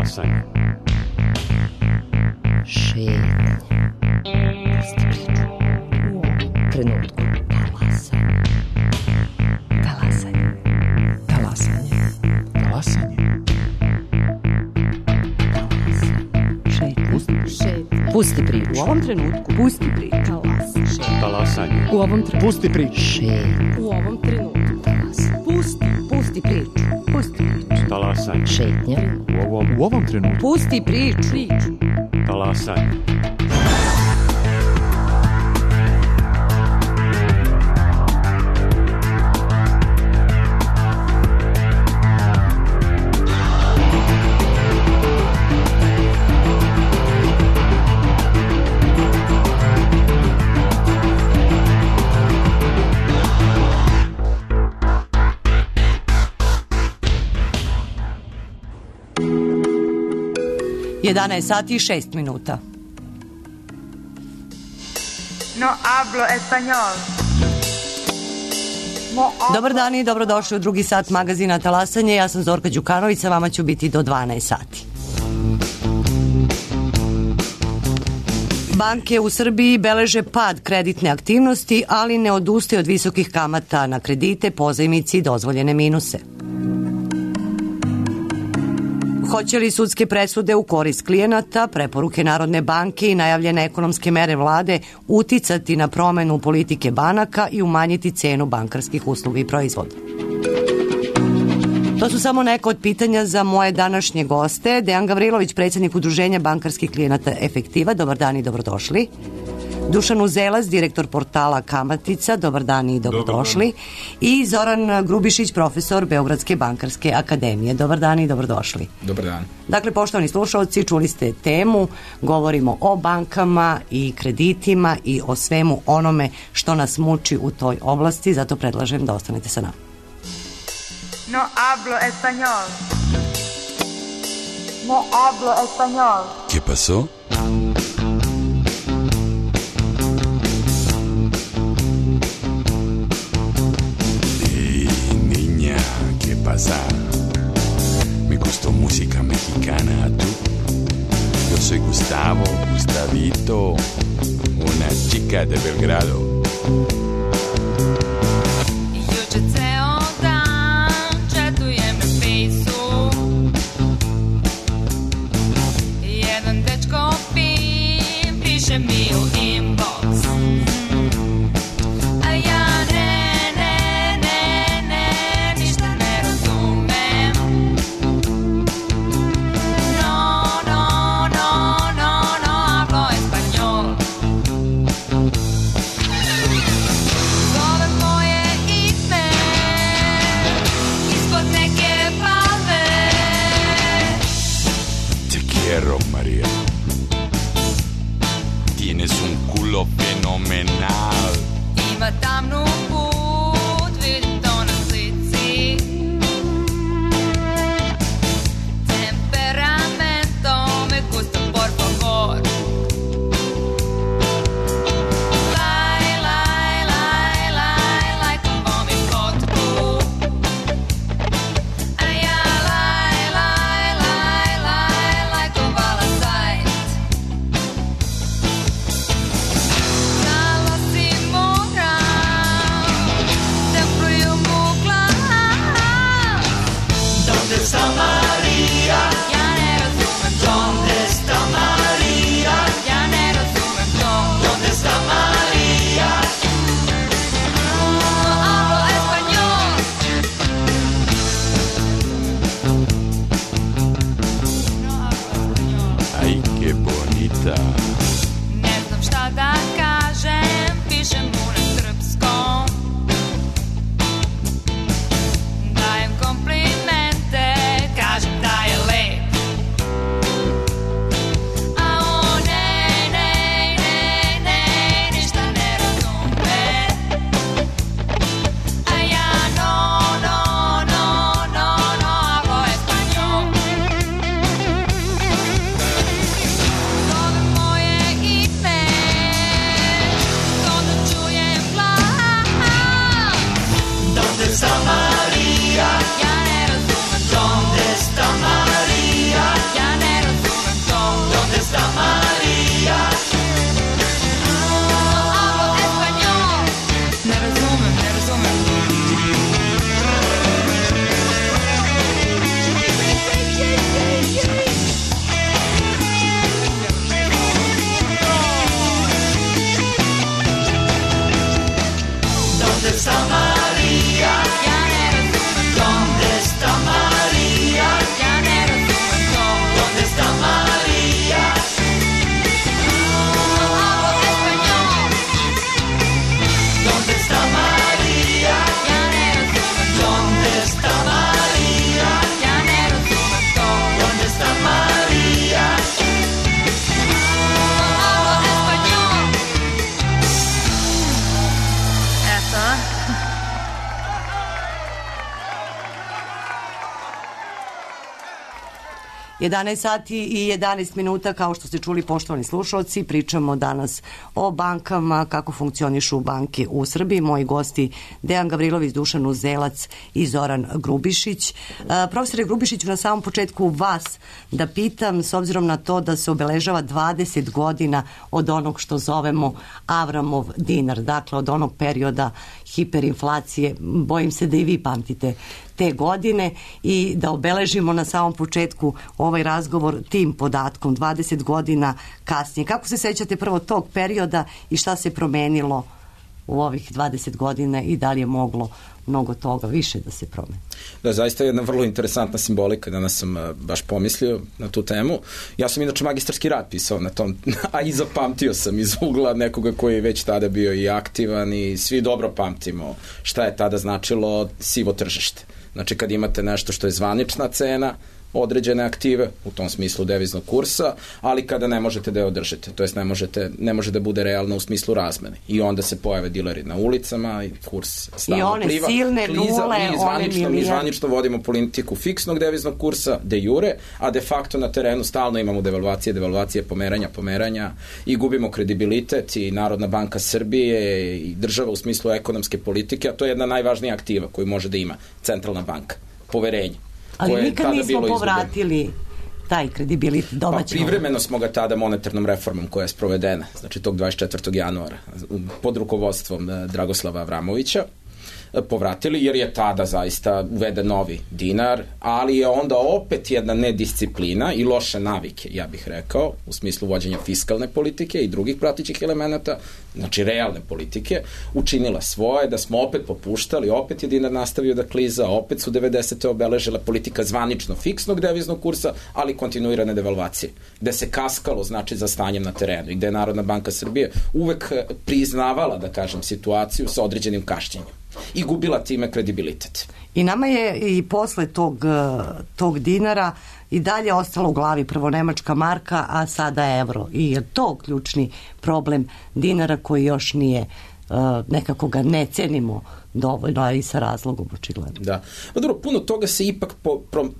Talasanje. Šetnje. Pusti priču. U ovom trenutku. Talasanje. Talasanje. Talasanje. Šetnje. Pusti priču. U ovom trenutku. Pusti priču. Talasanje. U ovom trenutku. Pusti priču. Šetnje. U ovom trenutku. Pusti priču. Pusti priču. Talasanje. Šetnja. U ovom trenutku. Pusti priču. Talasanje. Sati i 6 minuta. No hablo español. Dobar dan i dobrodošli u drugi sat magazina Talasanje. Ja sam Zorka Đukanović, sa vama ću biti do 12 sati. Banke u Srbiji beleže pad kreditne aktivnosti, ali ne odustaju od visokih kamata na kredite, pozajmici i dozvoljene minuse. Hoće li sudske presude u korist klijenata, preporuke Narodne banke i najavljene ekonomske mere vlade uticati na promenu politike banaka i umanjiti cenu bankarskih usluga i proizvoda? To su samo neka od pitanja za moje današnje goste. Dejan Gavrilović, predsjednik Udruženja bankarskih klijenata Efektiva. Dobar dan i dobrodošli. Dušan Uzelac, direktor portala Kamatica. Dobar dan i dobrodošli. I Zoran Grubišić, profesor Beogradske bankarske akademije. Dobar dan i dobrodošli. Dobar dan. Dakle, poštovani slušalci, čuli ste temu, govorimo o bankama i kreditima i o svemu onome što nas muči u toj oblasti, zato predlažem da ostanete sa nama. No hablo español. No hablo español. ¿Qué pasó? ¿Qué pasa? Me gustó música mexicana, ¿tú? Yo soy Gustavo, Gustavito, una chica de Belgrado. Juče ceo dan četujem na fejsu, jedan dečko pim piše mi u inbox, a ja María, tienes un culo fenomenal. Ima tamnu put, vidim to na slici. Temperamento me gusta, por favor. Lajkovo mi fotku. A ja lajkovala sajt. Znala si moram da pluju mu glas. Donde está María? Ja ne razumem to. Donde está María? Ja ne razumem to. Donde está María? Hablo español. Ay, qué bonita. Ne znam šta da kažem, pišem mu na srpskom. Dajem komplimente, kažem da je lep. A on ne, ništa ne razume. A ja no, hablo español. Zove moje ime, to da čujem glas. Donde está María? Ja ne razumem to. Donde está María? Ja ne 11 sati i 11 minuta, kao što ste čuli, poštovani slušalci, pričamo danas o bankama, kako funkcionišu banke u Srbiji. Moji gosti Dejan Gavrilović, Dušan Uzelac i Zoran Grubišić. Profesore Grubišiću, na samom početku vas da pitam, s obzirom na to da se obeležava 20 godina od onog što zovemo Avramov dinar, dakle od onog perioda hiperinflacije, bojim se da i vi pamtite te godine, i da obeležimo na samom početku ovaj razgovor tim podatkom 20 godina kasnije. Kako se sećate prvo tog perioda i šta se promenilo u ovih 20 godina i da li je moglo mnogo toga više da se promeni? Da, zaista je jedna vrlo interesantna simbolika, danas sam baš pomislio na tu temu. Ja sam inače magistarski rad pisao na tom, a i zapamtio sam iz ugla nekoga koji je već tada bio i aktivan, i svi dobro pamtimo šta je tada značilo sivo tržište. Znači kad imate nešto što je zvanična cena određene aktive, u tom smislu deviznog kursa, ali kada ne možete da je održite, to jest ne može da bude realno u smislu razmene. I onda se pojave dileri na ulicama i kurs stalno pliva. I one silne nule, mi zvanično vodimo politiku fiksnog deviznog kursa de jure, a de facto na terenu stalno imamo devalvacije, pomeranja i gubimo kredibilitet, i Narodna banka Srbije i država u smislu ekonomske politike, a to je jedna najvažnija aktiva koju može da ima centralna banka, poverenje. Ali nikad nismo povratili taj kredibilitet domaćeg. Pa privremeno smo ga tada monetarnom reformom koja je sprovedena, znači tog 24. januara pod rukovodstvom Dragoslava Avramovića, povratili, jer je tada zaista uveden novi dinar, ali je onda opet jedna nedisciplina i loše navike, ja bih rekao, u smislu vođenja fiskalne politike i drugih pratećih elemenata, znači realne politike, učinila svoje, da smo opet popuštali, opet je dinar nastavio da kliza, opet su 90. obeležila politika zvanično fiksnog deviznog kursa, ali kontinuirane devalvacije, gde se kaskalo, znači, za stanjem na terenu i gde je Narodna banka Srbije uvek priznavala, da kažem, situaciju sa određenim kašnjenjem i gubila time kredibilitet. I nama je i posle tog dinara i dalje ostalo u glavi prvo nemačka marka, a sada evro. I je to ključni problem dinara koji još nije, nekako ga ne cenimo dovoljno, a i sa razlogom očigledno. Da. Pa dobro, puno toga se ipak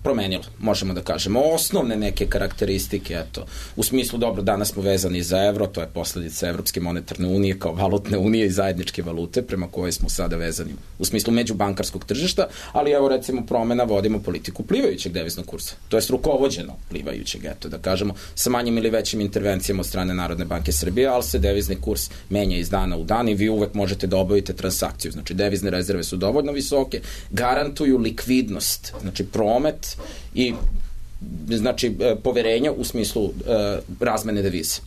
promenilo, možemo da kažemo. Osnovne neke karakteristike, eto, u smislu, dobro, danas smo vezani za evro, to je posledica Evropske monetarne unije kao valutne unije i zajedničke valute prema kojoj smo sada vezani u smislu međubankarskog tržišta, ali evo recimo promena, vodimo politiku plivajućeg deviznog kursa, to je rukovođeno plivajućeg, eto, da kažemo, sa manjim ili većim intervencijama od strane Narodne banke Srbije, ali se devizni kurs menja iz dana u dan i vi uvek možete da obavite transakciju, znači devizne rezerve su dovoljno visoke, garantuju likvidnost, znači promet i znači poverenja u smislu razmene devize.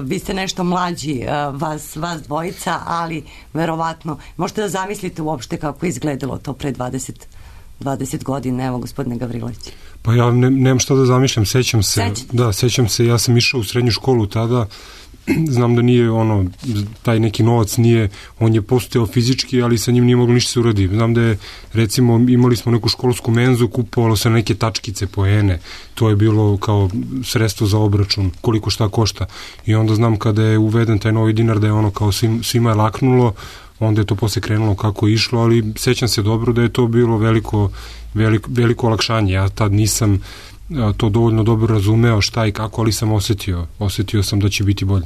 Vi ste nešto mlađi, vas dvojica, ali verovatno možete da zamislite uopšte kako je izgledalo to pre 20 godina, evo gospodine Gavrilović. Pa ja nemam šta da zamišljam, sećam se, ja sam išao u srednju školu tada, znam da nije taj neki novac nije, on je postojao fizički, ali sa njim nije moglo ništa se uradi. Znam da je, recimo, imali smo neku školsku menzu, kupovalo se neke tačkice, poene, to je bilo kao sredstvo za obračun, koliko šta košta. I onda znam kada je uveden taj novi dinar da je kao svima je laknulo, onda je to posle krenulo kako je išlo, ali sećam se dobro da je to bilo veliko olakšanje. Ja tad nisam to dovoljno dobro razumeo šta i kako, ali sam osetio sam da će biti bolje.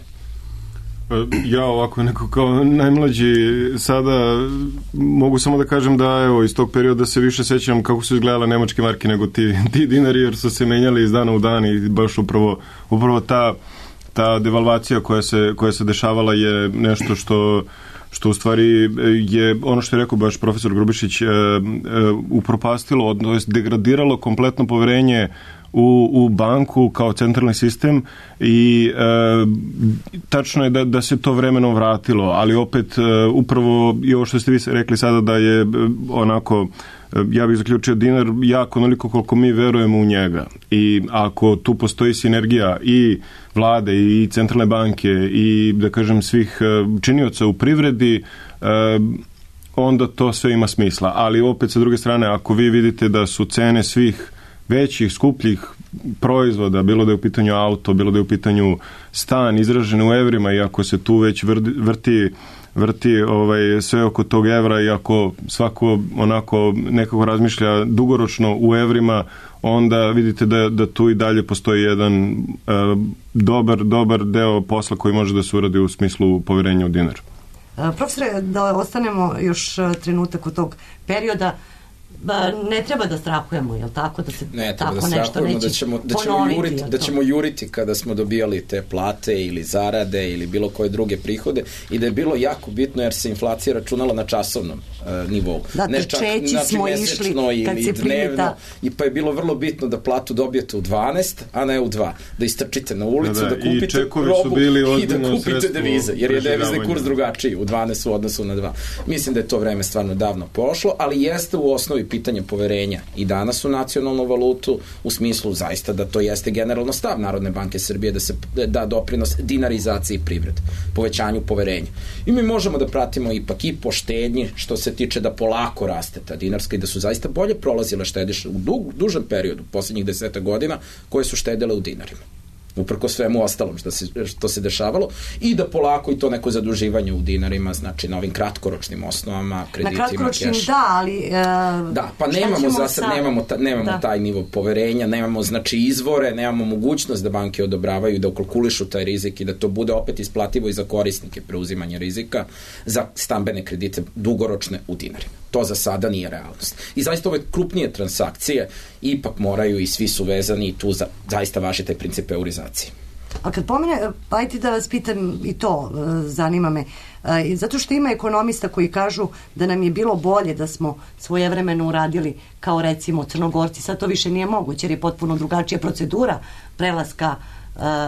Ja ovako neko kao najmlađi sada mogu samo da kažem da evo iz tog perioda se više sećam kako su izgledale nemačke marke nego ti dinari, jer su se menjali iz dana u dan i baš upravo ta devalvacija koja se dešavala je nešto što u stvari je ono što je rekao baš profesor Grubišić upropastilo, odnosno degradiralo kompletno poverenje u banku kao centralni sistem i tačno je da se to vremenom vratilo, ali opet upravo i ovo što ste vi rekli sada da je onako, ja bih zaključio dinar jako onoliko koliko mi verujemo u njega, i ako tu postoji sinergija i vlade i centralne banke i da kažem svih činioca u privredi, onda to sve ima smisla, ali opet sa druge strane ako vi vidite da su cene svih većih, skupljih proizvoda, bilo da je u pitanju auto, bilo da je u pitanju stan izražen u evrima, i ako se tu već vrti vrti sve oko tog evra i ako svako onako nekako razmišlja dugoročno u evrima, onda vidite da tu i dalje postoji jedan dobar deo posla koji može da se uradi u smislu poverenja u dinar. Profesore, da ostanemo još trenutak od tog perioda, ne treba da strahujemo, je li tako? Da se ne tako treba da strahujemo da ćemo juriti kada smo dobijali te plate ili zarade ili bilo koje druge prihode i da je bilo jako bitno jer se inflacija računala na časovnom nivou. Da, ne čak mesečno ili dnevno i pa je bilo vrlo bitno da platu dobijete u 12, a ne u 2. Da istrčite na ulicu, da kupite robu i da kupite devize, jer je devizni kurs drugačiji u 12 u odnosu na 2. Mislim da je to vreme stvarno davno prošlo, ali jeste u osnovi pitanje poverenja i danas u nacionalnu valutu u smislu zaista da to jeste generalno stav Narodne banke Srbije da se da doprinos dinarizaciji privrede, povećanju poverenja. I mi možemo da pratimo ipak i po štednji što se tiče da polako raste ta dinarska i da su zaista bolje prolazile štediše u dužem periodu, poslednjih 10 godina, koje su štedele u dinarima. Uprko svemu ostalom što se dešavalo i da polako i to neko zaduživanje u dinarima, znači na ovim kratkoročnim osnovama, kreditima, na kratkoročnim da, ali da, pa nemamo za sad, nemamo taj nivo poverenja, nemamo znači izvore, nemamo mogućnost da banke odobravaju i da ukalkulišu taj rizik i da to bude opet isplativo i za korisnike preuzimanja rizika za stambene kredite dugoročne u dinarima. To za sada nije realnost. I zaista ove krupnije transakcije ipak moraju i svi su vezani i tu zaista važi taj princip eurizacije. A kad pomene, ajte da vas pitam i to, zanima me, zato što ima ekonomista koji kažu da nam je bilo bolje da smo svojevremeno uradili kao recimo Crnogorci, sad to više nije moguće jer je potpuno drugačija procedura prelaska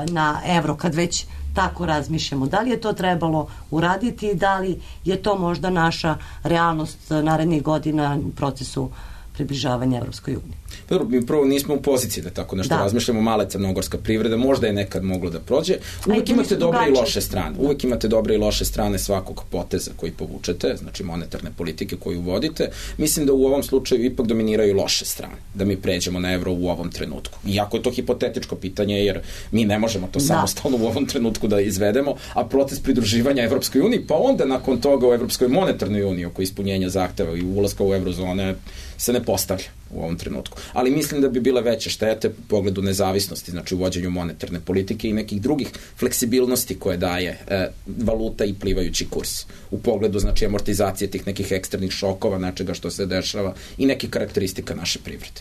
na evro kad već tako razmišljamo. Da li je to trebalo uraditi i da li je to možda naša realnost narednih godina u procesu približavanja Evropskoj uniji? Mi prvo nismo u poziciji da tako nešto razmišljamo, mala crnogorska privreda, možda je nekad moglo da prođe. Uvek imate dobre i loše strane. Uvek imate dobre i loše strane svakog poteza koji povučete, znači monetarne politike koju vodite. Mislim da u ovom slučaju ipak dominiraju loše strane, da mi pređemo na evro u ovom trenutku. Iako je to hipotetičko pitanje, jer mi ne možemo to samostalno u ovom trenutku da izvedemo, a proces pridruživanja Evropskoj uniji, pa onda nakon toga u Evropskoj monetarnoj uniji oko ispunjenja zahteva i ulaska u eurozone se ne postavlja u ovom trenutku. Ali mislim da bi bile veće štete u pogledu nezavisnosti, znači u vođenju monetarne politike i nekih drugih fleksibilnosti koje daje valuta i plivajući kurs. U pogledu, znači, amortizacije tih nekih eksternih šokova, nečega što se dešava i nekih karakteristika naše privrede.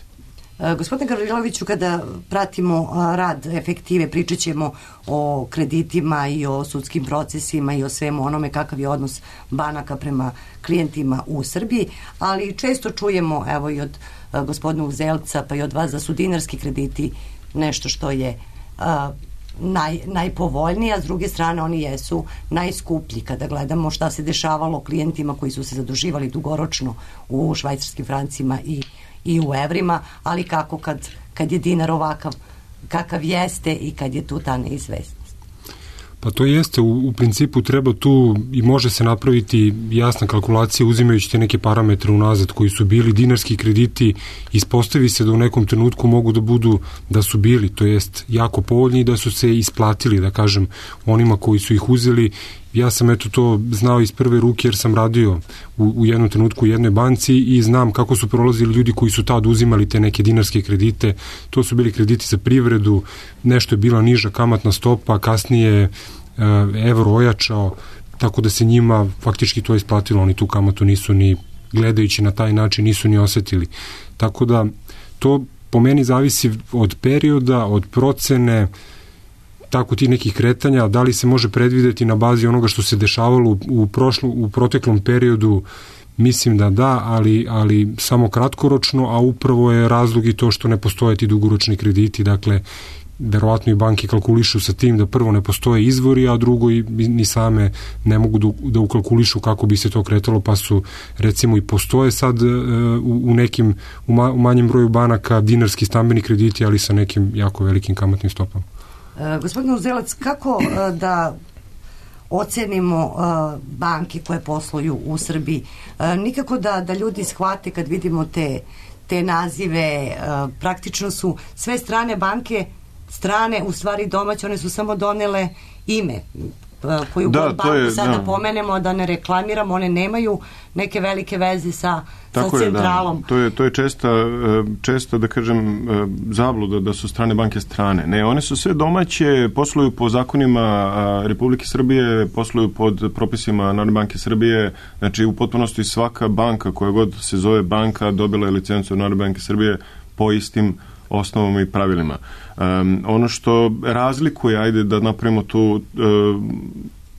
Gospodine Gavriloviću, kada pratimo rad efektive, pričat ćemo o kreditima i o sudskim procesima i o svemu onome kakav je odnos banaka prema klijentima u Srbiji, ali često čujemo, evo i od gospodina Uzelca pa i od vas, da su dinarski krediti nešto što je najpovoljniji, a s druge strane oni jesu najskuplji kada gledamo šta se dešavalo klijentima koji su se zaduživali dugoročno u švajcarskim francima i u evrima, ali kako kad je dinar ovakav kakav jeste i kad je tu ta neizvesnost. Pa to jeste, u principu treba tu i može se napraviti jasna kalkulacija uzimajući te neke parametre unazad koji su bili. Dinarski krediti ispostavi se da u nekom trenutku mogu da budu da su bili, to jest jako povoljni i da su se isplatili, da kažem, onima koji su ih uzeli. Ja sam to znao iz prve ruke jer sam radio u jednom trenutku u jednoj banci i znam kako su prolazili ljudi koji su tad uzimali te neke dinarske kredite. To su bili krediti za privredu, nešto je bila niža kamatna stopa, kasnije evro ojačao, tako da se njima faktički to isplatilo, oni tu kamatu nisu ni gledajući na taj način nisu ni osetili. Tako da to po meni zavisi od perioda, od procene, tako ti nekih kretanja, da li se može predvideti na bazi onoga što se dešavalo u proteklom periodu, mislim da, ali samo kratkoročno, a upravo je razlog i to što ne postoje ti dugoročni krediti, dakle, verovatno i banke kalkulišu sa tim da prvo ne postoje izvori, a drugo i ni same ne mogu da ukalkulišu kako bi se to kretalo, pa su recimo i postoje sad u manjem broju banaka dinarski stambeni krediti, ali sa nekim jako velikim kamatnim stopama. Gospodin Uzelac, kako da ocenimo banke koje posluju u Srbiji? Nikako da ljudi shvate kad vidimo te nazive, praktično su sve strane banke strane, u stvari domaće, one su samo donele ime. koju banku sada pomenemo, da ne reklamiramo, one nemaju neke velike veze sa centralom. To je česta, da kažem, zabluda da su strane banke strane. Ne, one su sve domaće, posluju po zakonima Republike Srbije, posluju pod propisima Narodne banke Srbije, znači u potpunosti svaka banka koja god se zove banka dobila je licencu od Narodne banke Srbije po istim osnovama i pravilima. Ono što razlikuje, ajde da napravimo tu,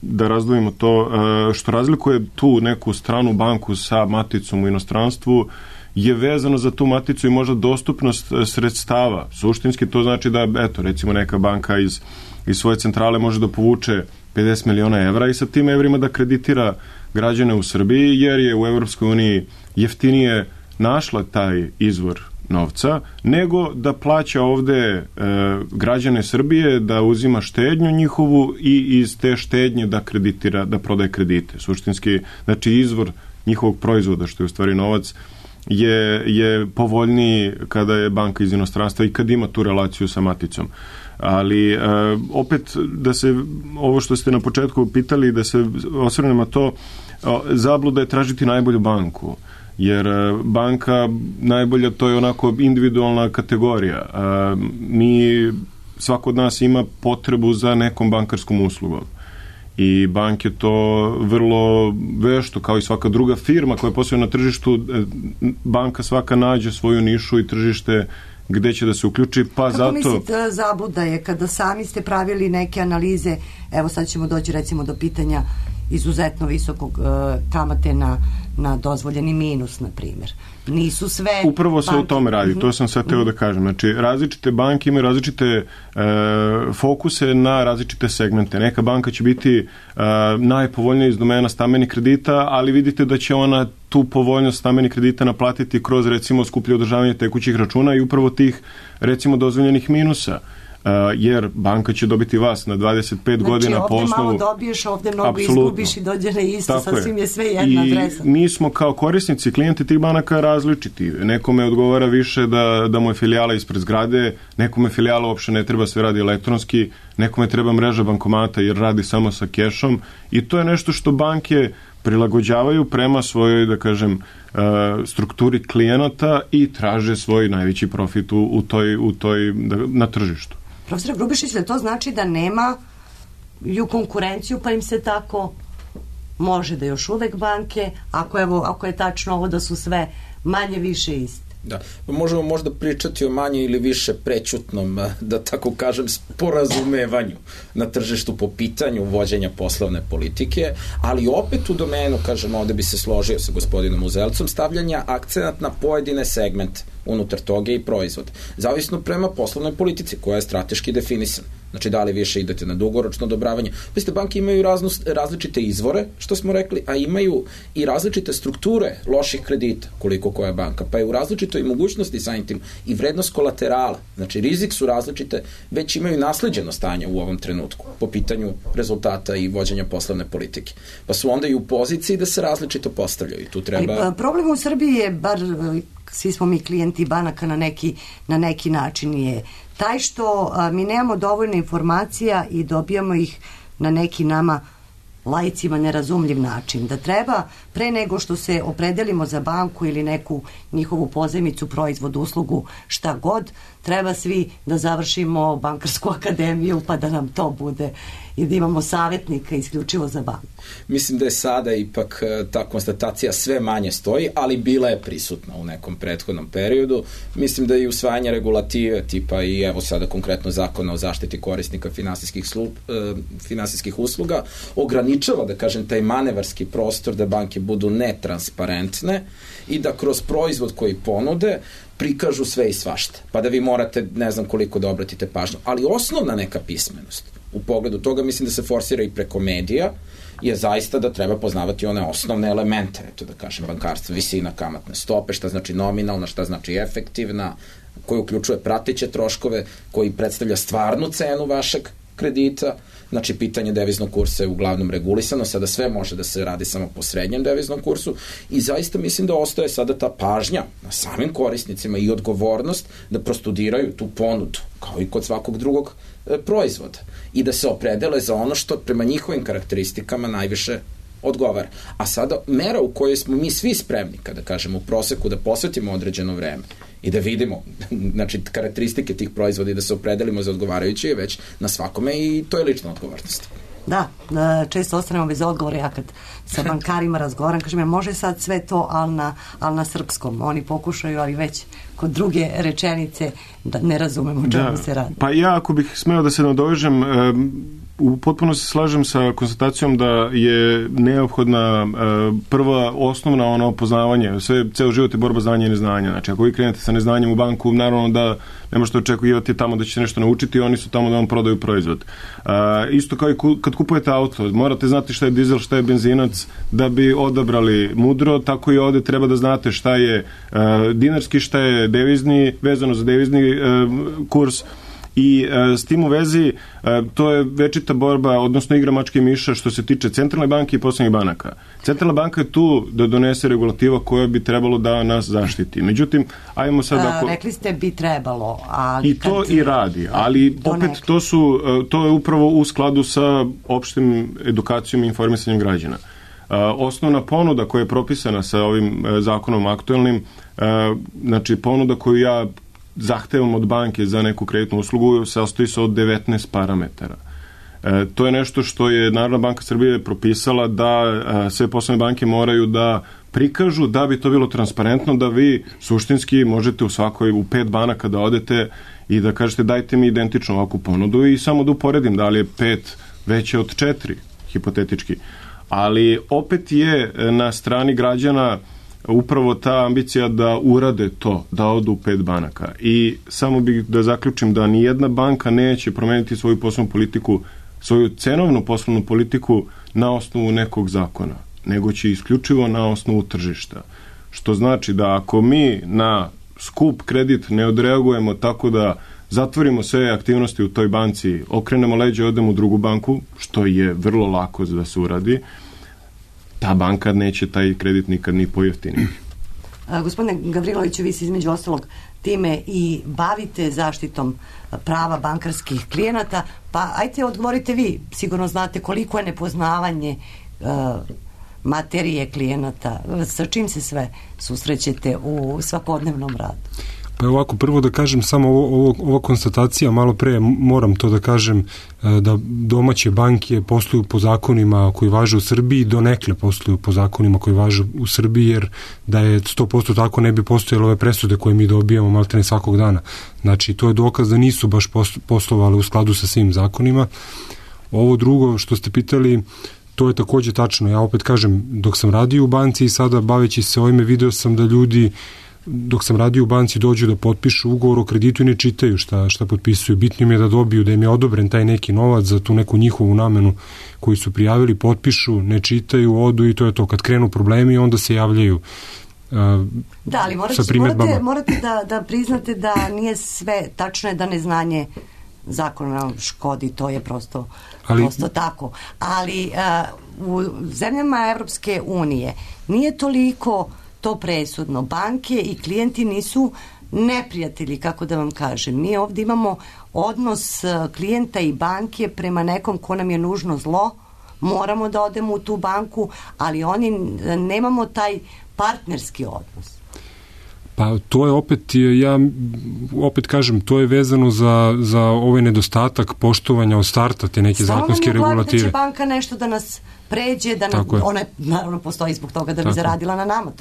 da razdvojimo to, što razlikuje tu neku stranu banku sa maticom u inostranstvu je vezano za tu maticu i možda dostupnost sredstava. Suštinski to znači da, eto, recimo neka banka iz svoje centrale može da povuče 50 miliona evra i sa tim evrima da kreditira građane u Srbiji, jer je u Evropskoj uniji jeftinije našla taj izvor novca, nego da plaća ovde građane Srbije, da uzima štednju njihovu i iz te štednje da kreditira, da prodaje kredite. Suštinski, znači izvor njihovog proizvoda, što je u stvari novac, je povoljniji kada je banka iz inostranstva i kad ima tu relaciju sa maticom. Ali opet da se, ovo što ste na početku pitali, da se osvrnemo to, zabluda je tražiti najbolju banku. Jer banka najbolja, to je onako individualna kategorija. Svako od nas ima potrebu za nekom bankarskom uslugom. I banke to vrlo vešto, kao i svaka druga firma koja posluje na tržištu, banka svaka nađe svoju nišu i tržište gde će da se uključi, pa kako zato... Kako mislite zabluda je kada sami ste pravili neke analize, evo sad ćemo doći recimo do pitanja izuzetno visokog kamate na dozvoljeni minus, na primjer. Nisu sve... Upravo se o tome radi, to sam sad teo da kažem. Znači, različite banke imaju različite fokuse na različite segmente. Neka banka će biti najpovoljnija iz domena stambenih kredita, ali vidite da će ona tu povoljnost stambenih kredita naplatiti kroz, recimo, skuplje održavanje tekućih računa i upravo tih, recimo, dozvoljenih minusa. Jer banka će dobiti vas na 25 godina po osnovu... Znači ovdje malo dobiješ, ovdje mnogo izgubiš i dođe na isto, sasvim je sve jedna adresa. I mi smo kao korisnici, klijenti tih banaka različiti. Nekome odgovara više da mu je filijala ispred zgrade, nekome filijala uopšte ne treba, sve radi elektronski, nekome treba mreža bankomata jer radi samo sa kešom i to je nešto što banke prilagođavaju prema svojoj, da kažem, strukturi klijenata i traže svoj najveći profit u toj na tržištu. Profesor Grubišić, da to znači da nema ju konkurenciju, pa im se tako može da još uvek banke, ako je tačno ovo da su sve manje više iste? Da, možemo možda pričati o manje ili više prećutnom, da tako kažem, sporazumevanju na tržištu po pitanju vođenja poslovne politike, ali opet u domenu, kažem, ovde bi se složio sa gospodinom Uzelcom, stavljanja akcenat na pojedine segmente unutar toga i proizvode. Zavisno prema poslovnoj politici koja je strateški definisana. Znači, da li više idete na dugoročno odobravanje. Pazite, banke imaju različite izvore, što smo rekli, a imaju i različite strukture loših kredita, koliko koja banka. Pa je u različitoj mogućnosti samim tim i vrednost kolaterala. Znači, rizik su različite, već imaju nasleđeno stanje u ovom trenutku po pitanju rezultata i vođenja poslovne politike. Pa su onda i u poziciji da se različito postavljaju. Tu treba... Ali problem u Srbiji je, bar svi smo mi klijenti banaka na neki način, je taj što mi nemamo dovoljno informacija i dobijamo ih na neki nama laicima nerazumljiv način. Da treba, pre nego što se opredelimo za banku ili neku njihovu pozajmicu, proizvod, uslugu, šta god, treba svi da završimo bankarsku akademiju pa da nam to bude i da imamo savjetnika isključivo za banku. Mislim da je sada ipak ta konstatacija sve manje stoji, ali bila je prisutna u nekom prethodnom periodu. Mislim da i usvajanje regulative tipa i evo sada konkretno zakona o zaštiti korisnika finansijskih usluga ograničava, da kažem, taj manevarski prostor da banke budu netransparentne i da kroz proizvod koji ponude prikažu sve i svašta. Pa da vi morate, ne znam koliko da obratite pažnju. Ali osnovna neka pismenost u pogledu toga, mislim da se forsira i preko medija, je zaista da treba poznavati one osnovne elemente, eto da kažem, bankarstva, visina kamatne stope, šta znači nominalna, šta znači efektivna, koji uključuje prateće troškove, koji predstavlja stvarnu cenu vašeg kredita. Znači, pitanje deviznog kursa je uglavnom regulisano, sada sve može da se radi samo po srednjem deviznom kursu i zaista mislim da ostaje sada ta pažnja na samim korisnicima i odgovornost da prostudiraju tu ponudu kao i kod svakog drugog proizvoda, i da se opredele za ono što prema njihovim karakteristikama najviše odgovara. A sada mera u kojoj smo mi svi spremni, kada kažemo u proseku, da posvetimo određeno vreme i da vidimo, znači, karakteristike tih proizvoda i da se opredelimo za odgovarajuće je već na svakome, i to je lična odgovornost. Da, često ostanemo bez odgovora. Ja kad sa bankarima razgovaram, kažem, može sad sve to, ali na srpskom. Oni pokušaju, ali već kod druge rečenice da ne razumemo čemu se radi. Pa ja, ako bih smeo da se nadovežem, potpuno se slažem sa konstatacijom da je neophodna prva osnovna ono poznavanje. Ceo život je borba znanja i neznanja. Znači, ako vi krenete sa neznanjem u banku, naravno da ne možete očekivati tamo da ćete nešto naučiti, oni su tamo da vam prodaju proizvod. Isto kao i kad kupujete auto, morate znati šta je dizel, šta je benzinac, da bi odabrali mudro, tako i ovde treba da znate šta je dinarski, šta je devizni, vezano za devizni kurs. I s tim u vezi to je večita borba, odnosno igra mačke i miša što se tiče centralne banke i poslovnih banaka. Centralna banka je tu da donese regulativa koja bi trebalo da nas zaštiti. Međutim, ajmo sad rekli ste bi trebalo, ali i to i radi, ali opet to je upravo u skladu sa opštim edukacijom i informisanjem građana. Osnovna ponuda koja je propisana sa ovim zakonom aktuelnim, znači ponuda koju ja zahtevom od banke za neku kreditnu uslugu sastoji se od 19 parametara. To je nešto što je Narodna banka Srbije propisala da sve poslovne banke moraju da prikažu da bi to bilo transparentno, da vi suštinski možete u 5 banaka da odete i da kažete dajte mi identičnu ovakvu ponudu i samo da uporedim da li je 5 veće od 4, hipotetički. Ali opet je na strani građana upravo ta ambicija da urade to, da odu u 5 banaka. I samo bih da zaključim da nijedna banka neće promeniti svoju poslovnu politiku, svoju cenovnu poslovnu politiku na osnovu nekog zakona, nego će isključivo na osnovu tržišta. Što znači da ako mi na skup kredit ne odreagujemo tako da zatvorimo sve aktivnosti u toj banci, okrenemo leđe i odemo u drugu banku, što je vrlo lako da se uradi, ta banka neće taj kredit nikad ni pojeftiniti. Gospodine Gavriloviću, vi se između ostalog time i bavite zaštitom prava bankarskih klijenata, pa ajte odgovorite vi, sigurno znate koliko je nepoznavanje materije klijenata, sa čim se sve susrećete u svakodnevnom radu? Pa ovako, prvo da kažem samo ova konstatacija, malo pre moram to da kažem, da domaće banke posluju po zakonima koji važe u Srbiji, donekle posluju po zakonima koji važe u Srbiji, jer da je 100% tako ne bi postojale ove presude koje mi dobijamo maltene svakog dana. Znači, to je dokaz da nisu baš poslovali u skladu sa svim zakonima. Ovo drugo što ste pitali, to je takođe tačno. Ja opet kažem, dok sam radio u banci i sada baveći se ovime, video sam da ljudi dok sam radio u banci dođu da potpišu ugovor o kreditu i ne čitaju šta potpisuju. Bitno im je da dobiju, da im je odobren taj neki novac za tu neku njihovu namenu koju su prijavili, potpišu, ne čitaju, odu i to je to. Kad krenu problemi, onda se javljaju da, ali morate da priznate da nije sve tačno, je da neznanje zakona škodi, to je prosto tako. Ali u zemljama Evropske unije nije toliko to presudno. Banke i klijenti nisu neprijatelji, kako da vam kažem. Mi ovdje imamo odnos klijenta i banke prema nekom ko nam je nužno zlo. Moramo da odemo u tu banku, ali oni nemamo taj partnerski odnos. Pa to je opet kažem, to je vezano za ovaj nedostatak poštovanja od starta te neke zakonske regulative. Da će banka nešto da nas pređe, da nam, ona naravno postoji zbog toga da bi zaradila na nama,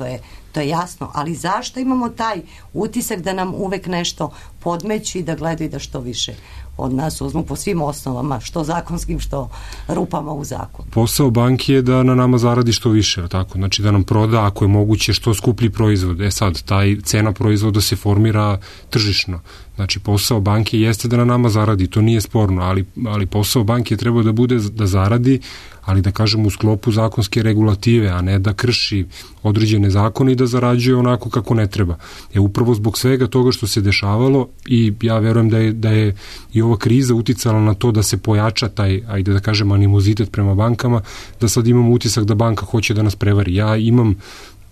to je jasno, ali zašto imamo taj utisak da nam uvek nešto podmeću i da gledaju da što više od nas uzmu po svim osnovama, što zakonskim, što rupama u zakonu. Posao banke je da na nama zaradi što više, tako? Znači da nam proda, ako je moguće, što skuplji proizvod. Sad, taj cena proizvoda se formira tržišno. Znači, posao banke jeste da na nama zaradi, to nije sporno, ali posao banke treba da bude da zaradi, ali da kažem u sklopu zakonske regulative, a ne da krši određene zakone i da zarađuje onako kako ne treba. Upravo zbog svega toga što se dešavalo i ja verujem da je i ova kriza uticala na to da se pojača taj, ajde da kažem, animozitet prema bankama, da sad imamo utisak da banka hoće da nas prevari. Ja imam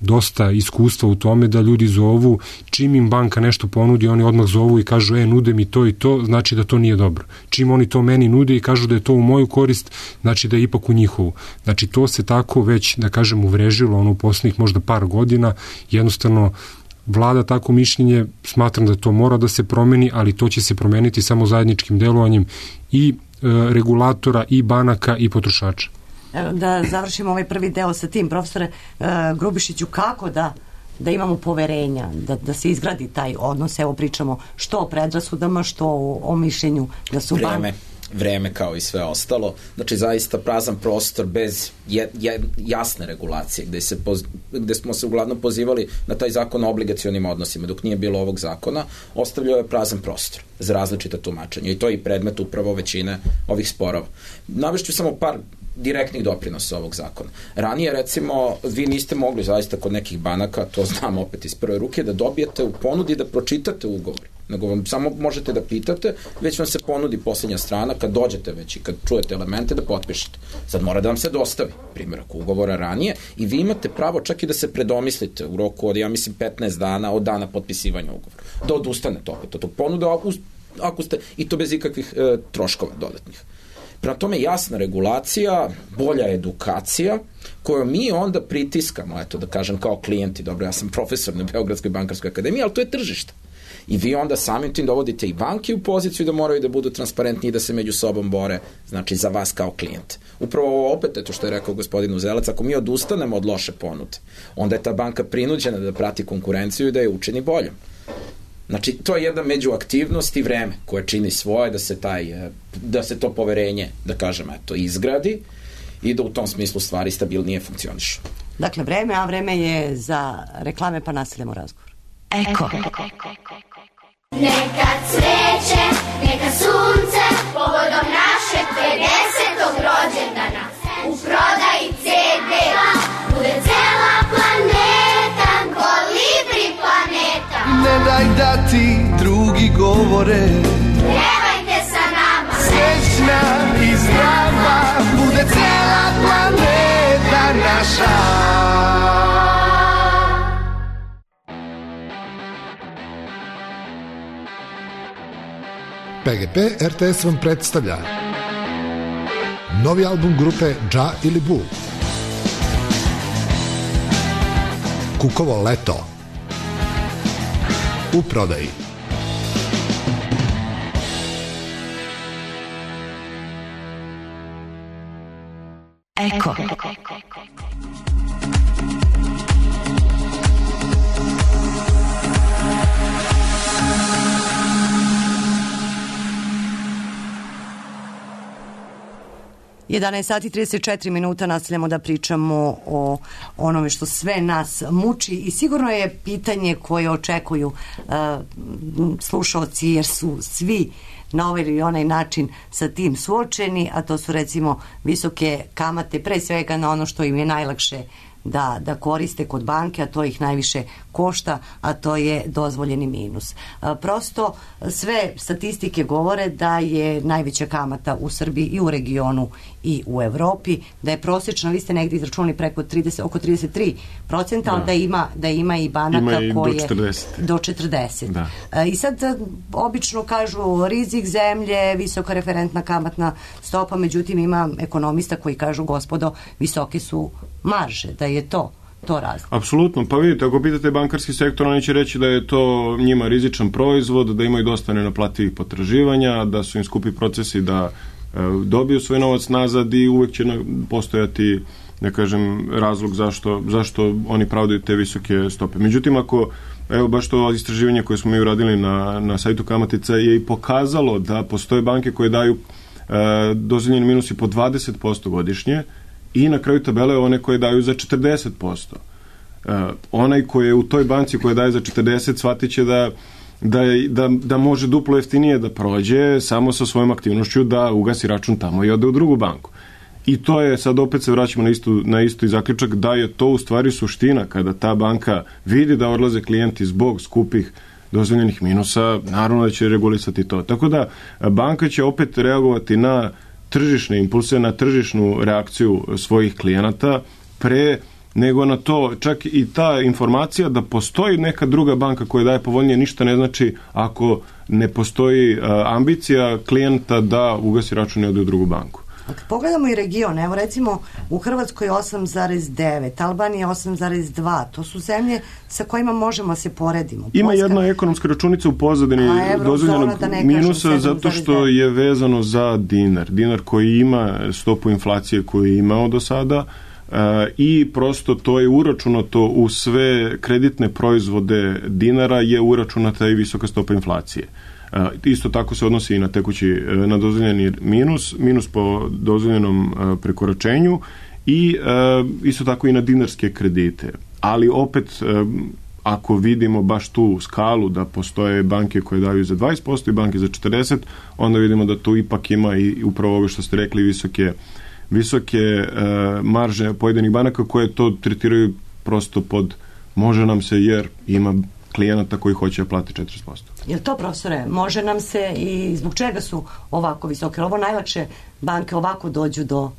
dosta iskustva u tome da ljudi zovu, čim im banka nešto ponudi, oni odmah zovu i kažu nude mi to i to, znači da to nije dobro. Čim oni to meni nude i kažu da je to u moju korist, znači da je ipak u njihovu. Znači to se tako već, da kažem, uvrežilo u poslednjih možda par godina, jednostavno vlada tako mišljenje, smatram da to mora da se promeni, ali to će se promeniti samo zajedničkim delovanjem i regulatora, i banaka, i potrošača. Da završimo ovaj prvi deo sa tim, profesore Grubišiću, kako da imamo poverenja, da se izgradi taj odnos, evo pričamo što o predrasudama, što o mišljenju da su vreme kao i sve ostalo, znači zaista prazan prostor bez jasne regulacije, gde smo se uglavnom pozivali na taj zakon o obligacionim odnosima, dok nije bilo ovog zakona, ostavljao je prazan prostor za različita tumačenja i to je i predmet upravo većine ovih sporova. Navešću samo par direktnih doprinosa ovog zakona. Ranije, recimo, vi niste mogli zaista kod nekih banaka, to znam opet iz prve ruke, da dobijete u ponudi da pročitate ugovor. Nego vam samo možete da pitate, već vam se ponudi poslednja strana, kad dođete već i kad čujete elemente da potpišete. Sad mora da vam se dostavi primjerak ugovora ranije i vi imate pravo čak i da se predomislite u roku od, ja mislim, 15 dana od dana potpisivanja ugovora. Da odustanete opet od tog ponuda, ako ste, i to bez ikakvih troškova dodatnih. Prema tome jasna regulacija, bolja edukacija, koju mi onda pritiskamo, eto da kažem kao klijenti, dobro, ja sam profesor na Beogradskoj bankarskoj akademiji, ali to je tržište. I vi onda samim tim dovodite i banke u poziciju da moraju da budu transparentni i da se među sobom bore, znači za vas kao klijent. Upravo ovo opet, eto što je rekao gospodin Uzelac, ako mi odustanemo od loše ponude, onda je ta banka prinuđena da prati konkurenciju i da je učini boljom. Znači, to je jedna međuaktivnost i vreme koje čini svoje da se to poverenje, da kažem, eto, izgradi i da u tom smislu stvari stabilnije funkcionišu. Dakle, vreme, a vreme je za reklame, pa nastavljamo razgovor. Eko. Neka cveće, neka sunce, povodom našeg 50. rođendana, u prodaji CD, bude cela planeta, Kolibri planeta. Ne daj da ti drugi govore, Pjevajte sa nama, srećna i zdrava, bude cela planeta naša. PGP RTS vam predstavlja novi album grupe Dža ili Bu, Kukovo leto, u prodaji. Eko. Sati 34 minuta, nastavljamo da pričamo o onome što sve nas muči i sigurno je pitanje koje očekuju slušalci, jer su svi na ovaj ili onaj način sa tim suočeni, a to su recimo visoke kamate, pre svega na ono što im je najlakše da koriste kod banke, a to ih najviše košta, a to je dozvoljeni minus. Prosto sve statistike govore da je najveća kamata u Srbiji i u regionu i u Evropi, da je prosječna, vi ste negdje izračunali preko 30, oko 33%, ali da ima i banaka koje do 40. Da. I sad obično kažu rizik zemlje, visoka referentna kamatna stopa, međutim ima ekonomista koji kažu, gospodo, visoke su marže, da je to razlog. Apsolutno, pa vidite, ako pitate bankarski sektor, oni će reći da je to njima rizičan proizvod, da imaju dosta nenaplativih potraživanja, da su im skupi procesi da dobiju svoj novac nazad i uvek će postojati, da kažem, razlog zašto oni pravdaju te visoke stope. Međutim, ako, evo baš to istraživanje koje smo mi uradili na sajtu Kamatica je i pokazalo da postoje banke koje daju dozvoljeni minusi po 20% godišnje, i na kraju tabele one koje daju za 40%. Onaj koji je u toj banci koja daje za 40 shvatit će da može duplo jeftinije da prođe samo sa svojom aktivnošću da ugasi račun tamo i ode u drugu banku. I to je, sad opet se vraćamo na isti zaključak, da je to u stvari suština kada ta banka vidi da odlaze klijenti zbog skupih dozvoljenih minusa, naravno da će regulisati to. Tako da banka će opet reagovati na tržišne impulse, na tržišnu reakciju svojih klijenata pre nego na to, čak i ta informacija da postoji neka druga banka koja daje povoljnije, ništa ne znači ako ne postoji ambicija klijenta da ugasi račun i ode u drugu banku. Pogledamo i region, evo recimo u Hrvatskoj 8,9, Albanija 8,2, to su zemlje sa kojima možemo se poredimo. Ima jedna ekonomska računica u pozadini dozvoljenog minusa zato što je vezano za dinar. Dinar koji ima stopu inflacije koju je imao do sada i prosto to je uračunato u sve kreditne proizvode dinara je uračunata i visoka stopa inflacije. Isto tako se odnosi i na tekući, na dozvoljeni minus po dozvoljenom prekoračenju i isto tako i na dinarske kredite. Ali opet, ako vidimo baš tu skalu da postoje banke koje daju za 20% i banke za 40%, onda vidimo da tu ipak ima i upravo ovo što ste rekli visoke marže pojedinih banaka koje to tretiraju prosto pod može nam se jer ima klijenata koji hoće da plati 40%. Jel to, profesore, može nam se i zbog čega su ovako visoke? Ovo najlakše banke ovako dođu do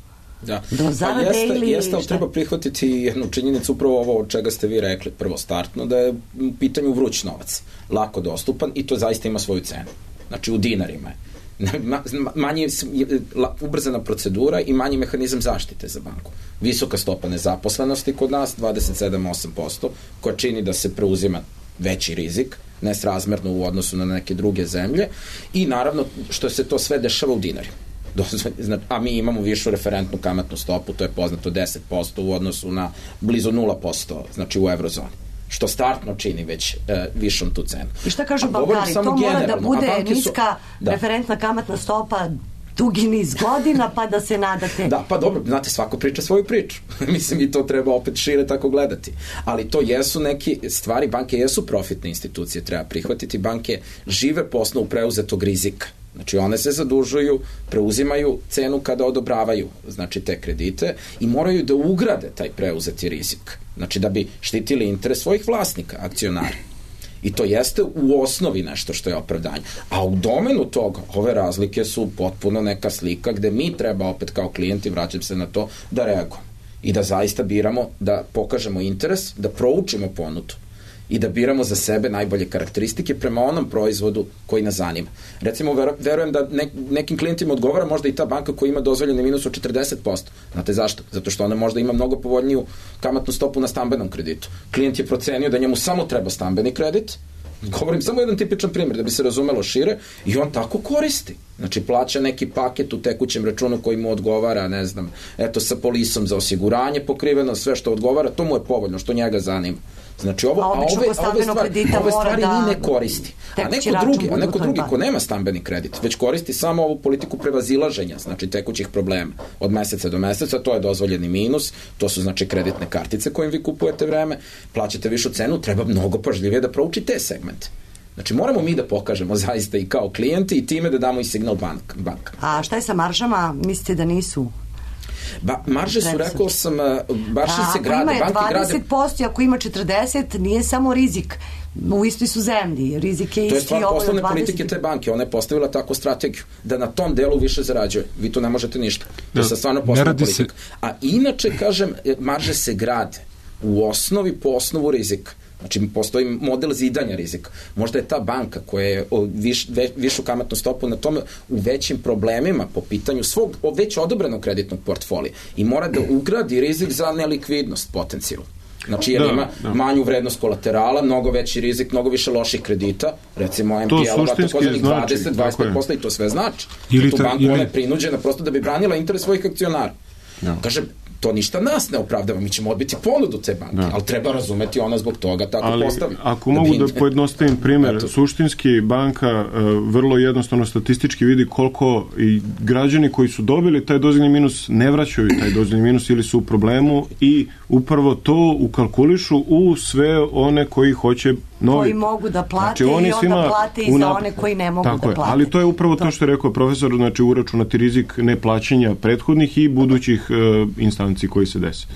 zarade ili jeste, ali treba prihvatiti jednu činjenicu, upravo ovo od čega ste vi rekli prvo startno, da je u pitanju vruć novac, lako dostupan i to zaista ima svoju cenu. Znači u dinarima je. Manje ubrzana procedura i manji mehanizam zaštite za banku. Visoka stopa nezaposlenosti kod nas, 27-8%, koja čini da se preuzima veći rizik, nesrazmerno u odnosu na neke druge zemlje i naravno što se to sve dešava u dinarima. A mi imamo višu referentnu kamatnu stopu, to je poznato 10% u odnosu na blizu 0%, znači u eurozoni. Što startno čini već višom tu cenu. I šta kažu bankari? To mora da bude niska referentna kamatna stopa dugi niz godina, pa da se nadate. Da, pa dobro, znate, svako priča svoju priču. Mislim, i to treba opet šire tako gledati. Ali to jesu neki stvari, banke jesu profitne institucije, treba prihvatiti. Banke žive po osnovu preuzetog rizika. Znači, one se zadužuju, preuzimaju cenu kada odobravaju, znači, te kredite i moraju da ugrade taj preuzeti rizik. Znači, da bi štitili interes svojih vlasnika, akcionara. I to jeste u osnovi nešto što je opravdanje. A u domenu toga, ove razlike su potpuno neka slika gde mi treba opet kao klijenti, vraćam se na to, da reagujemo. I da zaista biramo, da pokažemo interes, da proučimo ponudu i da biramo za sebe najbolje karakteristike prema onom proizvodu koji nas zanima. Recimo, verujem da nekim klijentima odgovara možda i ta banka koja ima dozvoljeni minus od 40%. Znate zašto? Zato što ona možda ima mnogo povoljniju kamatnu stopu na stambenom kreditu. Klijent je procenio da njemu samo treba stambeni kredit, govorim samo jedan tipičan primjer da bi se razumelo šire, i on tako koristi. Znači, plaća neki paket u tekućem računu koji mu odgovara, ne znam, eto, sa polisom za osiguranje pokriveno, sve što odgovara, to mu je povoljno, što njega zanima. Znači, ove stvari ni ne koristi. A neko drugi ko nema stambeni kredit, već koristi samo ovu politiku prevazilaženja, znači tekućih problema od meseca do meseca, to je dozvoljeni minus, to su znači kreditne kartice kojim vi kupujete vreme, plaćate višu cenu, treba mnogo pažljivije da prouči te segmente. Znači, moramo mi da pokažemo zaista i kao klijenti i time da damo i signal banka. A šta je sa maržama? Mislite da nisu? Marže su, rekao sam, baš se grade. Ako ima 20%, ako ima 40%, nije samo rizik. U istoj su zemlji. Rizik je isti. To je stvar poslovne politike te banke. Ona je postavila takvu strategiju da na tom delu više zarađuje. Vi tu ne možete ništa. To je stvarno poslovna politika. A inače, kažem, marže se grade u osnovi po osnovu rizika. Znači, postoji model zidanja rizika. Možda je ta banka koja je višu kamatnu stopu na tome u većim problemima po pitanju svog već odobrenog kreditnog portfolija i mora da ugradi rizik za nelikvidnost potencijalno. Znači, jer ima manju vrednost kolaterala, mnogo veći rizik, mnogo više loših kredita, recimo MPL-ova, takozvanih 20-25% i to sve znači. Tu banku ona je prinuđena prosto da bi branila interes svojih akcionara. Kažem, to ništa nas ne opravdava, mi ćemo odbiti ponudu te banke, ali treba razumeti ona zbog toga tako postavi. Ako mogu da pojednostavim primer, suštinski banka vrlo jednostavno statistički vidi koliko i građani koji su dobili taj dozvoljeni minus ne vraćaju taj dozvoljeni minus ili su u problemu i upravo to ukalkulišu u sve one koji hoće koji mogu da plate, znači, i onda plate i za one koji ne mogu da plate. Ali to je upravo to što je rekao profesor, znači uračunati rizik neplaćanja prethodnih i budućih instanci koji se desi.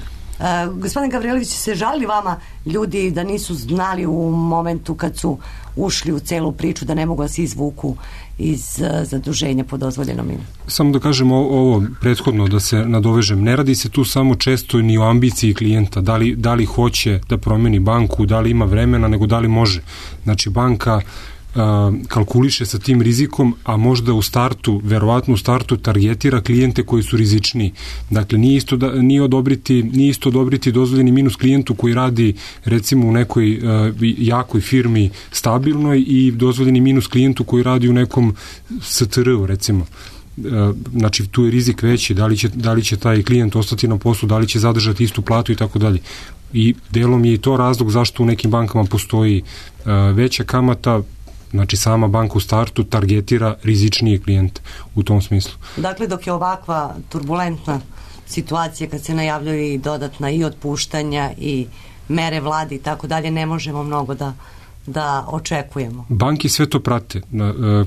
Gospodin Gavrilović, se žali vama ljudi da nisu znali u momentu kad su ušli u celu priču, da ne mogu da se izvuku iz zaduženja po dozvoljenom ime. Samo da kažem ovo prethodno, da se nadovežem, ne radi se tu samo često ni o ambiciji klijenta, da li hoće da promeni banku, da li ima vremena, nego da li može. Znači banka kalkuliše sa tim rizikom, a možda u startu, verovatno u startu targetira klijente koji su rizičniji. Dakle, nije isto odobriti dozvoljeni minus klijentu koji radi recimo u nekoj jakoj firmi stabilnoj i dozvoljeni minus klijentu koji radi u nekom STR-u recimo. Znači tu je rizik veći, da li će taj klijent ostati na poslu, da li će zadržati istu platu i tako dalje. I delom je i to razlog zašto u nekim bankama postoji veća kamata. Znači sama banka u startu targetira rizičnije klijente u tom smislu. Dakle, dok je ovakva turbulentna situacija, kad se najavljaju i dodatna i otpuštanja i mere vlade i tako dalje, ne možemo mnogo da očekujemo. Banke sve to prate.